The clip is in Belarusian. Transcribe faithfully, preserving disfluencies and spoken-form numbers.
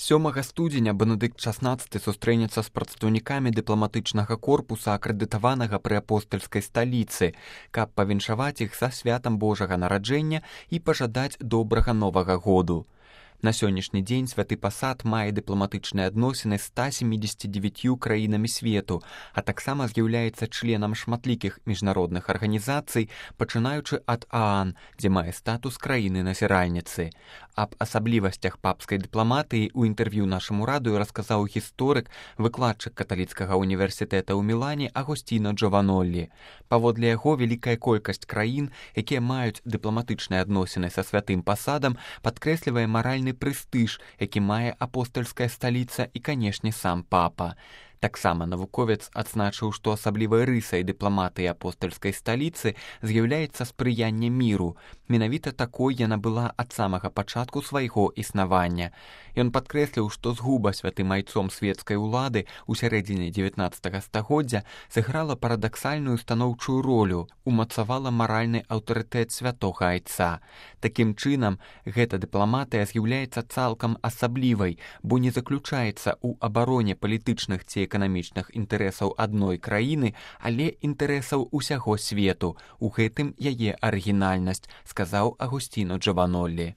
сёмага студзеня Бенедыкт шаснаццаты сустрэнецца з прадстаўнікамі дыпламатычнага корпуса, акрэдытаванага пры апостальскай сталіцы, каб павіншаваць іх са святам Божага нараджэння і пажадаць добрага новага году. На сённяшні дзень святы пасад мае дыпламатычныя адносіны з ста семідзесяці дзевяццю краінамі свету, а таксама з'яўляецца членам шматлікіх міжнародных арганізацый, пачынаючы ад ААН, дзе мае статус краіны-назіральніцы. Аб асаблівасцях папскай дыпламатыі ў інтэрв'ю нашаму радыё расказаў гісторык, выкладчык каталіцкага універсітэта ў Мілане Агосціно Джованоллі. Паводле яго, вялікая колькасць краін, якія маюць дыпламатычныя адносіны са святым пасадам, падкрэслівае маральны прэстыж, які мае апостальская сталіца і, канешне, сам папа. Таксама навуковец адзначыў, што асаблівай рысай дыпламатыі апостальскай сталіцы з'яўляецца спрыянне міру. Менавіта такой яна была ад самага пачатку свайго існавання. Ён падкрэсліў, што згуба святым айцом светскай улады ў сярэдзіне дзевятнаццатага стагоддзя сыграла парадаксальную станоўчую ролю, умацавала маральны аўтарытэт святога айца. Такім чынам, гэта дыпламатыя з'яўляецца цалкам асаблівай, бо не заключаецца ў абароне палітычных ці эканамічных інтарэсаў адной краіны, але інтарэсаў усяго свету. У гэтым яе арыгінальнасць, сказаў Агосціно Джованоллі.